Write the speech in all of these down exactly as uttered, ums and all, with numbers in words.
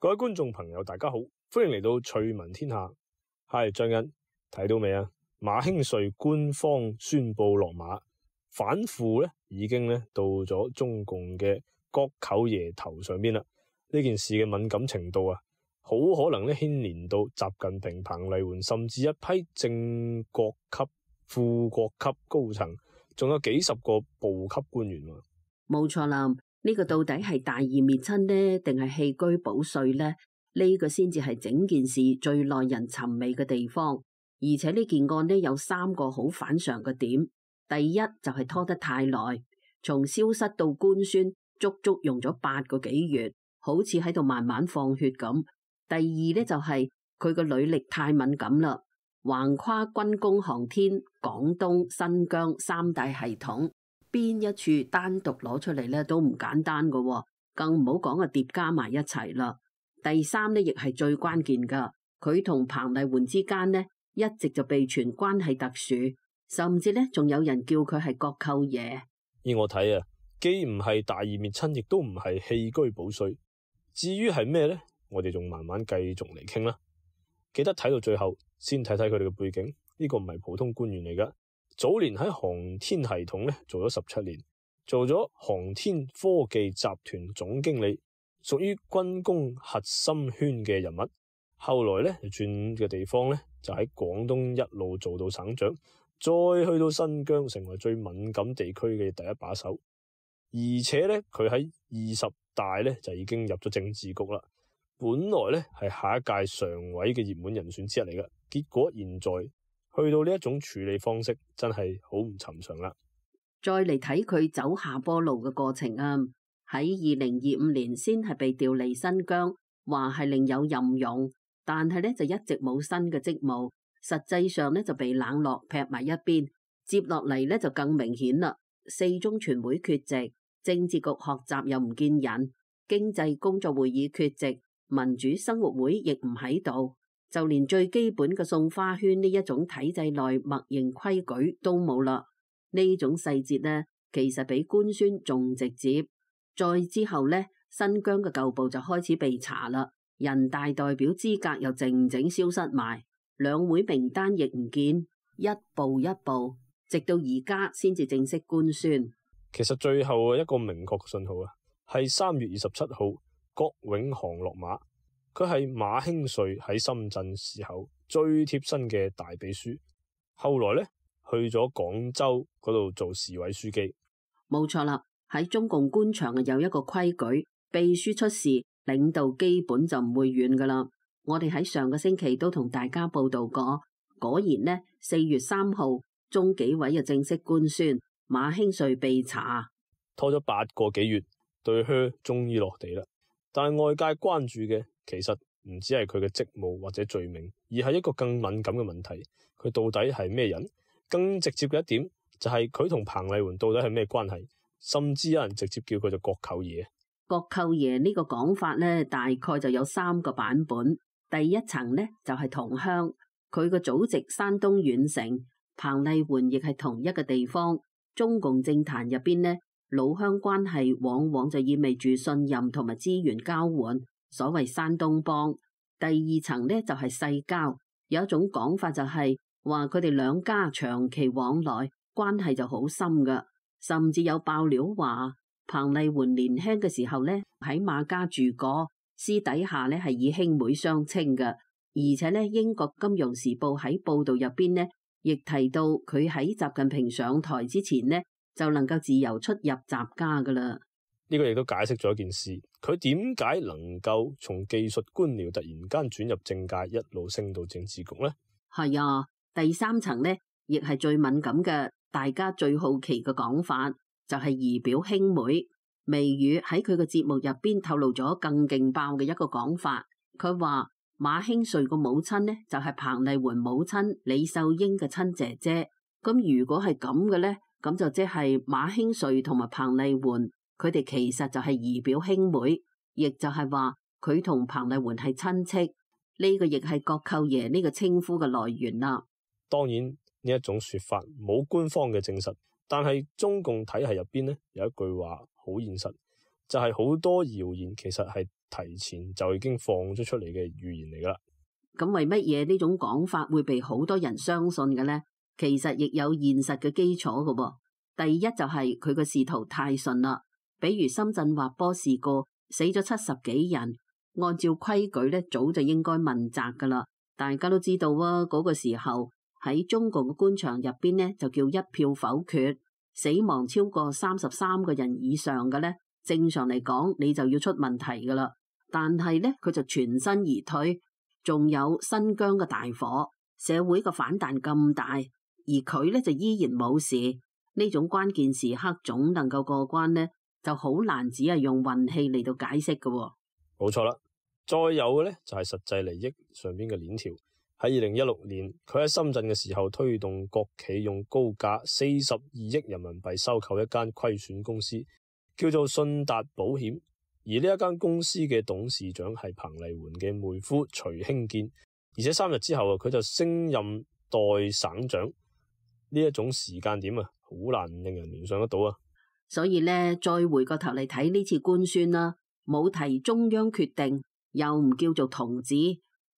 各位觀眾朋友大家好，歡迎嚟到趣聞天下。係張欣，睇到未啊？馬興瑞官方宣布落馬，反腐咧已經咧到咗中共嘅國舅爺頭上邊啦。呢件事嘅敏感程度啊，好可能咧牽連到習近平、彭麗媛，甚至一批正國級、副國級高層，仲有幾十個部級官員。冇錯啦，呢個到底係大義滅親呢，定係棄車保帥呢？呢個先至係整件事最耐人尋味嘅地方。而且呢件案呢，有三個好反常嘅點。第一就係拖得太耐，從消失到官宣，足足用咗八個幾月，好似喺度慢慢放血咁。第二呢，就係佢個履歷太敏感啦，橫跨軍工、航天、廣東、新疆三大系統，邊一處單獨攞出嚟呢都唔簡單㗎，更唔好講啊疊加埋一齊啦。第三呢，亦係最關鍵噶，佢同彭麗媛之間呢，一直就被傳關係特殊，甚至呢仲有人叫佢係國舅爺。依我睇啊，既唔係大義滅親，亦都唔係棄車保帥。至於係咩呢？我哋仲慢慢繼續嚟傾啦。記得睇到最後，先睇睇佢哋嘅背景。呢個唔係普通官員嚟噶，早年喺航天系統咧做咗十七年，做咗航天科技集團總經理，屬於軍工核心圈嘅人物。後來咧轉嘅地方咧就喺廣東一路做到省長，再去到新疆成為最敏感地區嘅第一把手。而且咧佢喺二十大咧就已經入咗政治局啦。本來咧係下一屆常委嘅熱門人選之一嚟嘅，結果現在去到呢一種處理方式，真係好唔尋常啦。再嚟睇佢走下坡路嘅過程啊，喺二零二五年先係被調離新疆，話係另有任用，但係咧就一直冇新嘅職務，實際上咧就被冷落劈埋一邊。接落嚟咧就更明顯啦，四中全會缺席，政治局學習又唔見人，經濟工作會議缺席，民主生活會亦唔喺度，就連最基本嘅送花圈呢一種體制內默認規矩都冇啦。呢種細節呢，其實比官宣仲直接。再之後呢，新疆嘅舊部就開始被查啦，人大代表資格又靜靜消失埋，兩會名單亦唔見，一步一步，直到而家先至正式官宣。其實最後一個明確信號啊，係三月二十七號。郭永航落馬，佢係馬興瑞喺深圳時候最貼身嘅大秘書，後來咧去咗廣州嗰度做市委書記。冇錯啦，喺中共官場啊有一個規矩，秘書出事，領導基本就唔會遠噶啦。我哋喺上個星期都同大家報道過，果然呢，四月三號中紀委就正式官宣馬興瑞被查，拖咗八個幾月，對靴終於落地啦。但係外界關注嘅其實唔只係佢嘅職務或者罪名，而係一個更敏感嘅問題，佢到底係咩人？更直接嘅一點就係佢同彭麗媛到底係咩關係？甚至有人直接叫佢做國舅爺。國舅爺呢個講法呢，大概就有三個版本。第一層呢，就係同鄉，佢個祖籍山東縣城，彭麗媛亦係同一個地方。中共政壇入邊呢，老鄉關係往往就意味住信任同埋資源交換，所謂山東幫。第二層呢，就係世交，有一種講法就係話佢哋兩家長期往來，關係就好深噶，甚至有爆料話彭麗媛年輕嘅時候呢，喺馬家住過，私底下呢係以兄妹相稱噶。而且呢，英國金融時報喺報道入邊呢，亦提到佢喺習近平上台之前呢，就能夠自由出入習家噶啦。呢個亦都解釋咗一件事，佢點解能夠從技術官僚突然間轉入政界，一路升到政治局呢？係啊，第三層呢，亦係最敏感嘅，大家最好奇嘅講法，就係姨表兄妹。微語喺佢嘅節目入邊透露咗更勁爆嘅一個講法，佢話馬興瑞個母親呢，就係彭麗媛母親李秀英嘅親姐姐。咁如果係咁嘅呢，咁就即係馬興瑞同埋彭麗媛，佢哋其實就係姨表兄妹，亦就係話佢同彭麗媛係親戚。呢個亦係國舅爺呢個稱呼嘅來源啦。當然呢一種說法冇官方嘅證實，但係中共體系入邊呢有一句話好現實，就係好多謠言其實係提前就已經放咗出嚟嘅預言嚟噶啦。咁為乜嘢呢種講法會被好多人相信嘅呢？其實亦有現實嘅基礎嘅喎。第一就係佢個仕途太順啦，比如深圳滑坡事故死咗七十幾人，按照規矩咧早就應該問責噶啦。大家都知道啊，嗰個時候喺中共嘅官場入邊呢，就叫一票否決，死亡超過三十三個人以上嘅呢，正常嚟講你就要出問題噶啦。但係呢，佢就全身而退，仲有新疆嘅大火，社會嘅反彈咁大，而佢呢就依然冇事。呢種關鍵時刻總能夠過關呢，就好難只係用運氣嚟到解釋嘅喎。冇錯啦，再有嘅呢，就係實際利益上邊嘅鏈條。喺二零一六年，佢喺深圳嘅時候推動國企用高價四十二億人民幣收購一間虧損公司，叫做信達保險。而呢一間公司嘅董事長係彭麗媛嘅妹夫徐興建，而且三日之後啊，佢就升任代省長。呢一種時間點啊，好難令人聯想得到啊。所以咧，再回過頭嚟睇呢次官宣啦，冇提中央決定，又唔叫做同志。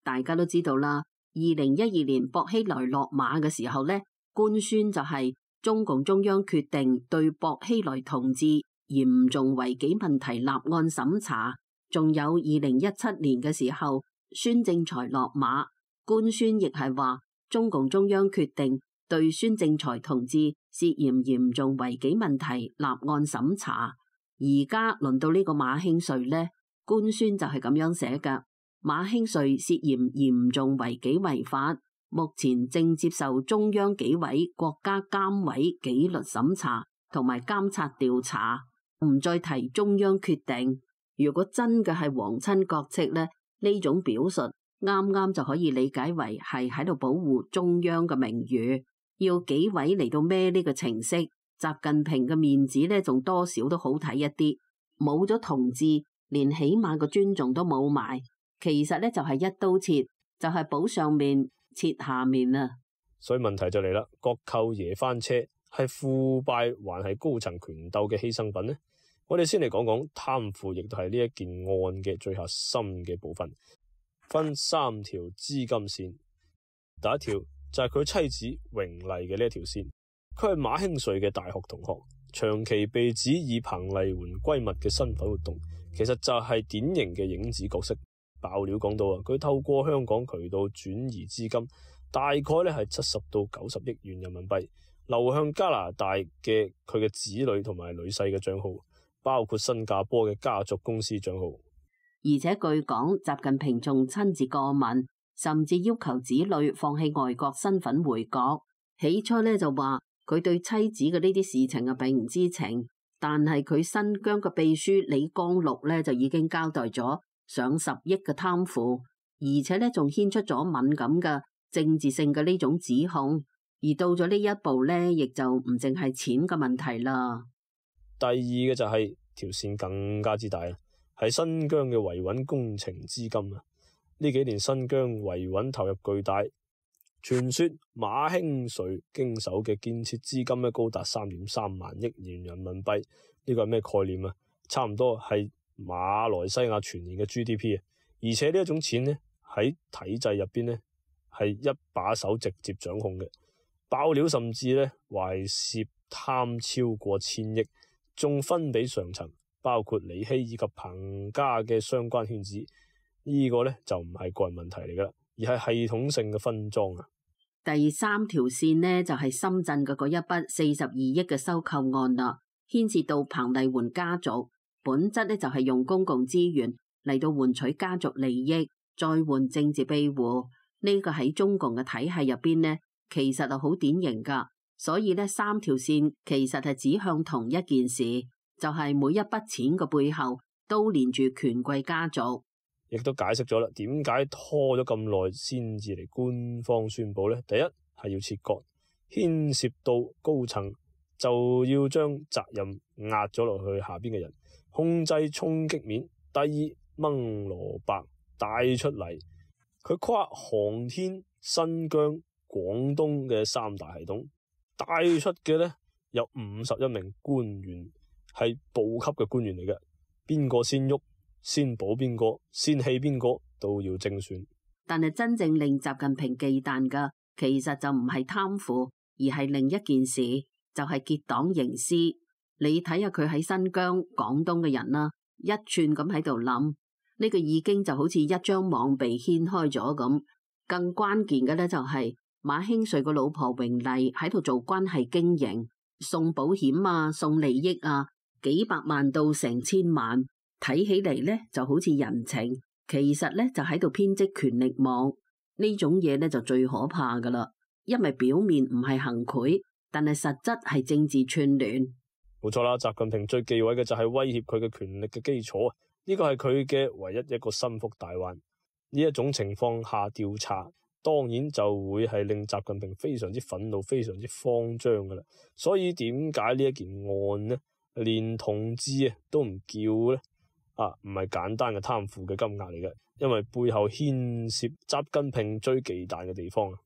大家都知道啦，二零一二年薄熙來落馬嘅時候咧，官宣就係中共中央決定對薄熙來同志嚴重違紀問題立案審查。仲有二零一七年嘅時候，孫政才落馬，官宣亦係話中共中央決定對孫政才同志涉嫌嚴重違紀問題立案審查。而家輪到呢個馬興瑞呢，官宣就係咁樣寫㗎。馬興瑞涉嫌嚴重違紀違法，目前正接受中央紀委國家監委紀律審查同埋監察調查，唔再提中央決定。如果真嘅係皇親國戚呢，呢種表述啱啱就可以理解為係喺度保護中央嘅名譽。要紀委嚟到孭呢個程式，習近平嘅面子呢，仲多少都好睇一啲。冇咗同志，連起碼個尊重都冇埋，其實呢，就係一刀切，就係補上面切下面啊。所以問題就嚟啦，國舅爺翻車係腐敗還係高層權鬥嘅犧牲品呢？我哋先嚟講講貪腐，亦都係呢一件案嘅最核心嘅部分，分三條資金線。第一條就係佢妻子榮麗嘅呢一條線，佢係馬興瑞嘅大學同學，長期被指以彭麗媛閨蜜嘅身份活動，其實就係典型嘅影子角色。爆料講到啊，佢透過香港渠道轉移資金，大概咧係七十到九十億元人民幣，流向加拿大嘅佢嘅子女同埋女婿嘅賬號，包括新加坡嘅家族公司賬號。而且據講，習近平仲親自過問，甚至要求子女放棄外國身份回國。起初咧就話佢對妻子嘅呢啲事情啊並唔知情，但係佢新疆嘅秘書李光祿咧就已經交代咗上十億嘅貪腐，而且咧仲牽出咗敏感嘅政治性嘅呢種指控。而到咗呢一步咧，亦就唔淨係錢嘅問題啦。第二嘅就係條線更加之大啊，係新疆嘅維穩工程資金啊。呢幾年新疆維穩投入巨大，傳說馬興瑞經手嘅建設資金咧高達三點三萬億元人民幣。呢個係咩概念啊？差唔多係馬來西亞全年嘅 G D P 啊。而且呢一種錢咧喺體制入邊咧係一把手直接掌控嘅。爆料甚至咧話係涉貪超過千億，仲分俾上層，包括李希以及彭家嘅相關圈子。呢個咧就唔係個人問題嚟噶，而係系統性嘅分贓啊。第三條線呢，就係深圳嘅嗰一筆四十二億嘅收購案啦，牽涉到彭麗媛家族，本質咧就係用公共資源嚟到換取家族利益，再換政治庇護。呢個喺中共嘅體系入邊呢，其實係好典型噶。所以呢，三條線其實係指向同一件事，就係每一筆錢嘅背後都連住權貴家族。亦都解釋咗啦，點解拖咗咁耐先至嚟官方宣佈呢？第一係要切割，牽涉到高層就要將責任壓咗落去下邊嘅人，控制衝擊面。第二，掹蘿蔔帶出嚟，佢跨航天、新疆、廣東嘅三大系統，帶出嘅呢有五十一名官員係部級嘅官員嚟嘅。邊個先喐，先保邊個，先棄邊個都要精算。但係真正令習近平忌憚嘅，其實就唔係貪腐，而係另一件事，就係結黨營私。你睇下佢喺新疆、廣東嘅人啦，一串咁喺度諗，呢個已經就好似一張網被掀開咗咁。更關鍵嘅咧就係馬興瑞個老婆榮麗喺度做關係經營，送保險啊，送利益啊，幾百萬到成千萬，睇起嚟咧就好似人情，其實咧就喺度編織權力網。呢種嘢咧就最可怕噶啦，因為表面唔係行賄，但係實質係政治串聯。冇錯啦，習近平最忌諱嘅就係威脅佢嘅權力嘅基礎，呢個係佢嘅唯一一個心腹大患。呢一種情況下調查，當然就會係令習近平非常之憤怒、非常之慌張噶啦。所以點解呢一件案呢，連同志啊都唔叫呢？啊，唔係簡單嘅貪腐嘅金額嚟嘅，因為背後牽涉習近平最忌憚嘅地方啊。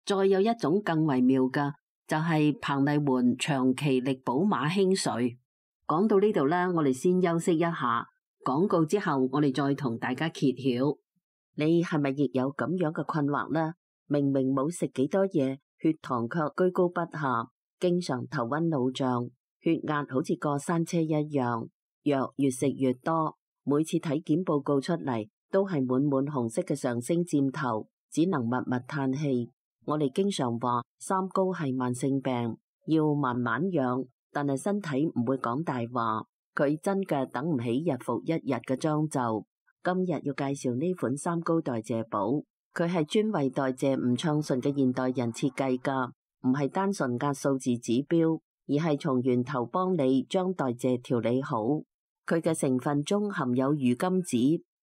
再有一種更為妙嘅，就係彭麗媛長期力保馬興瑞。講到呢度咧，我哋先休息一下，廣告之後我哋再同大家揭曉。你係咪亦有咁樣嘅困惑呢？明明冇食幾多嘢，血糖卻居高不下，經常頭暈腦脹，血壓好似過山車一樣，藥越食越多，每次體檢報告出嚟都係滿滿紅色嘅上升箭頭，只能默默嘆氣。我哋經常話三高係慢性病，要慢慢養，但係身體唔會講大話，佢真嘅等唔起日復一日嘅將就。今日要介紹呢款三高代謝寶，佢係專為代謝唔暢順嘅現代人設計噶，唔係單純壓數字指標，而係從源頭幫你將代謝調理好。佢嘅成分中含有魚甘子、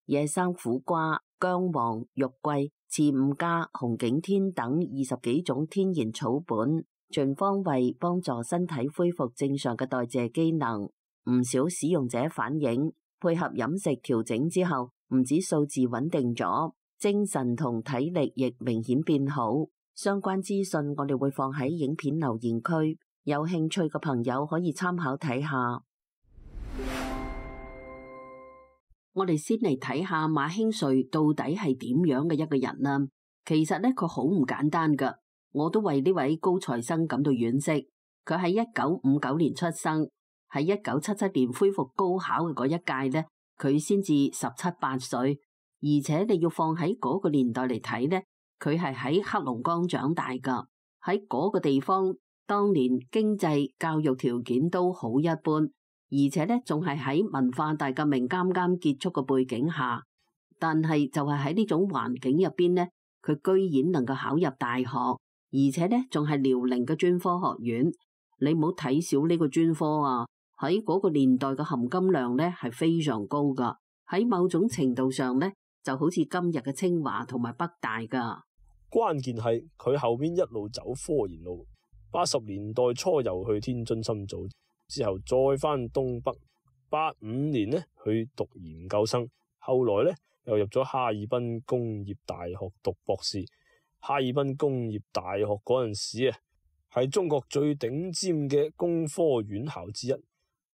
野生苦瓜、薑黃、肉桂、刺五加、紅景天等二十幾種天然草本，全方位幫助身體恢復正常嘅代謝機能。唔少使用者反映，配合飲食調整之後，唔止數字穩定咗，精神同體力亦明顯變好。相關資訊我哋會放喺影片留言區，有興趣嘅朋友可以參考睇下。我哋先嚟睇下馬興瑞到底係點樣嘅一個人啦。其實咧，佢好唔簡單噶，我都為呢位高材生感到惋惜。佢喺一九五九年出生，喺一九七七年恢復高考嘅嗰一屆咧，佢先至十七八歲，而且你要放喺嗰個年代嚟睇咧，佢係喺黑龍江長大噶。喺嗰個地方，當年經濟教育條件都好一般。而且咧，仲係喺文化大革命啱啱結束嘅背景下，但係就係喺呢種環境入邊咧，佢居然能夠考入大學，而且咧仲係遼寧嘅專科學院。你唔好睇小呢個專科啊！喺嗰個年代嘅含金量咧係非常高噶。喺某種程度上咧，就好似今日嘅清華同埋北大噶。關鍵係佢後邊一路走科研路，八十年代初又去天津深造。之後再返東北，八五年呢去讀研究生，後來呢又入咗哈爾濱工業大學讀博士。哈爾濱工業大學嗰陣時啊，係中國最頂尖嘅工科院校之一，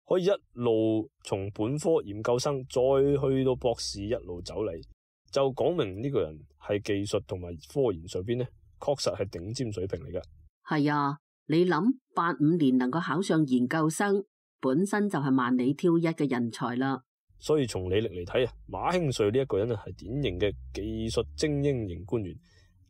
可以一路從本科研究生再去到博士一路走嚟，就講明呢個人係技術同埋科研上邊呢，確實係頂尖水平嚟㗎。係啊。你諗八五年能夠考上研究生，本身就係萬里挑一嘅人才啦。所以從履歷嚟睇啊，馬興瑞呢一個人啊係典型嘅技術精英型官員，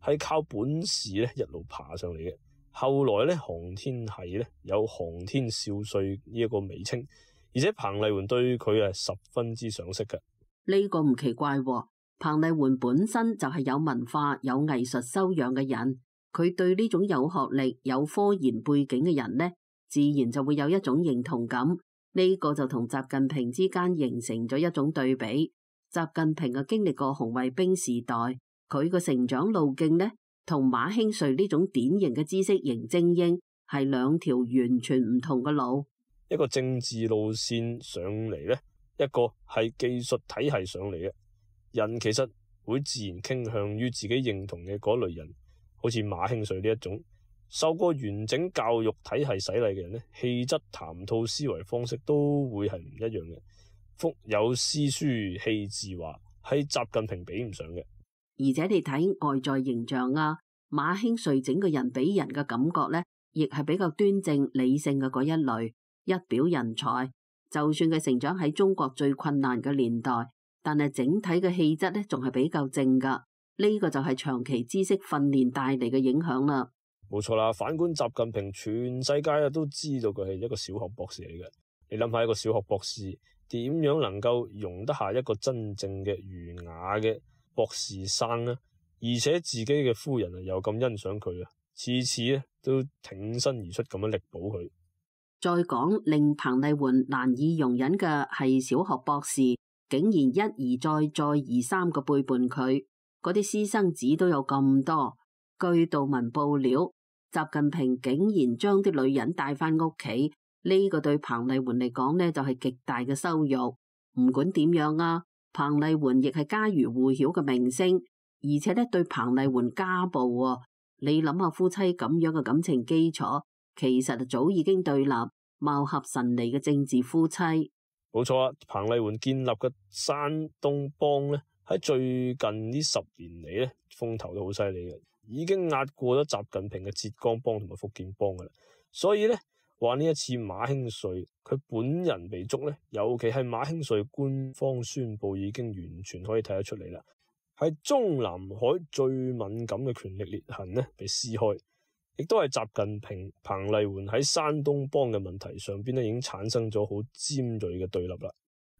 係靠本事咧一路爬上嚟嘅。後來咧航天系咧有航天少帥呢一個美稱，而且彭麗媛對佢係十分之賞識嘅。呢個唔奇怪喎，彭麗媛本身就係有文化、有藝術修養嘅人。佢對呢種有學歷、有科研背景嘅人呢，自然就會有一種認同感。呢個就同習近平之間形成咗一種對比。習近平啊經歷過紅衛兵時代，佢個成長路徑呢，同馬興瑞呢種典型嘅知識型精英係兩條完全唔同嘅路。一個政治路線上嚟呢，一個係技術體系上嚟嘅。人其實會自然傾向於自己認同嘅嗰類人。好似馬興瑞呢一種受過完整教育體系洗禮嘅人呢，氣質、談吐、思維方式都會係唔一樣嘅。腹有詩書氣自華，係習近平比唔上嘅。而且你睇外在形象啊，馬興瑞整個人俾人嘅感覺呢，亦係比較端正理性嘅嗰一類，一表人才。就算佢成長喺中國最困難嘅年代，但係整體嘅氣質呢，仲係比較正噶。呢個就係長期知識訓練帶嚟嘅影響啦。冇錯啦，反觀習近平，全世界啊都知道佢係一個小學博士嚟嘅。你諗下，一個小學博士點樣能夠容得下一個真正嘅儒雅嘅博士生呢？而且自己嘅夫人啊又咁欣賞佢啊，次次咧都挺身而出咁樣力保佢。再講令彭麗媛難以容忍嘅係小學博士竟然一而再再而三嘅背叛佢，嗰啲私生子都有咁多。據道聞報料，習近平竟然將啲女人帶翻屋企，呢個對彭麗媛嚟講呢，就係極大嘅羞辱。唔管點樣啊，彭麗媛亦係家喻戶曉嘅明星，而且呢對彭麗媛家暴啊，你諗下夫妻咁樣嘅感情基礎，其實早已經對立，貌合神離嘅政治夫妻。冇錯啊，彭麗媛建立嘅山東幫呢，喺最近呢十年嚟咧，風頭都好犀利嘅，已經壓過咗習近平嘅浙江幫同埋福建幫噶啦。所以呢，話呢一次馬興瑞佢本人被捉呢，尤其係馬興瑞官方宣佈已經完全可以睇得出嚟啦，係中南海最敏感嘅權力裂痕呢被撕開，亦都係習近平彭麗媛喺山東幫嘅問題上邊呢已經產生咗好尖銳嘅對立啦。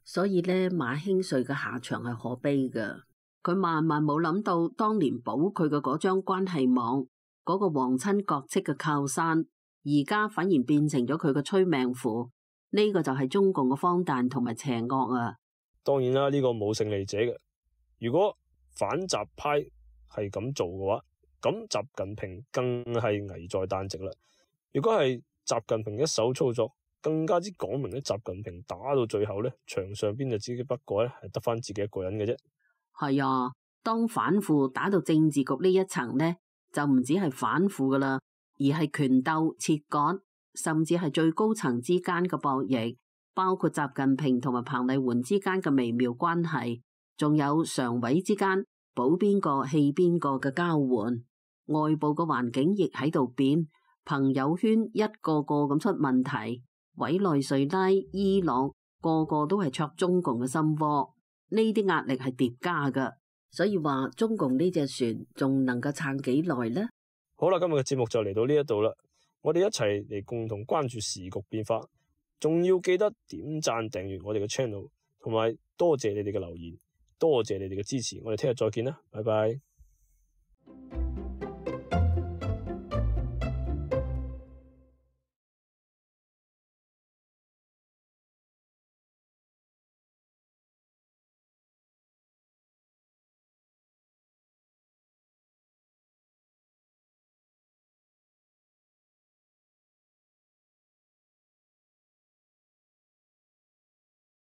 所以呢，馬興瑞嘅下場係可悲嘅。佢萬萬冇諗到，當年保佢嘅嗰張關係網，嗰個皇親國戚嘅靠山，而家反而變成咗佢嘅催命符。呢個就係中共嘅荒誕同埋邪惡啊！當然啦，呢個冇勝利者嘅。如果反習派係咁做嘅話，咁習近平更係危在旦夕啦。如果係習近平一手操作，更加之講明咧，習近平打到最後咧，場上邊就只不過咧係得翻自己一個人嘅啫。係啊，當反腐打到政治局呢一層呢，就唔止係反腐噶啦，而係權鬥、切割，甚至係最高層之間嘅博弈，包括習近平同埋彭麗媛之間嘅微妙關係，仲有常委之間保邊個棄邊個嘅交換。外部嘅環境亦喺度變，朋友圈一個個咁出問題，委內瑞拉、伊朗個個都係戳中共嘅心窩。呢啲壓力係疊加噶，所以話中共呢隻船仲能夠撐幾耐呢？好啦，今日嘅節目就嚟到呢一度啦，我哋一齊嚟共同關注時局變化，仲要記得點讚訂閱我哋嘅 channel， 同埋多謝你哋嘅留言，多謝你哋嘅支持，我哋聽日再見啦，拜拜。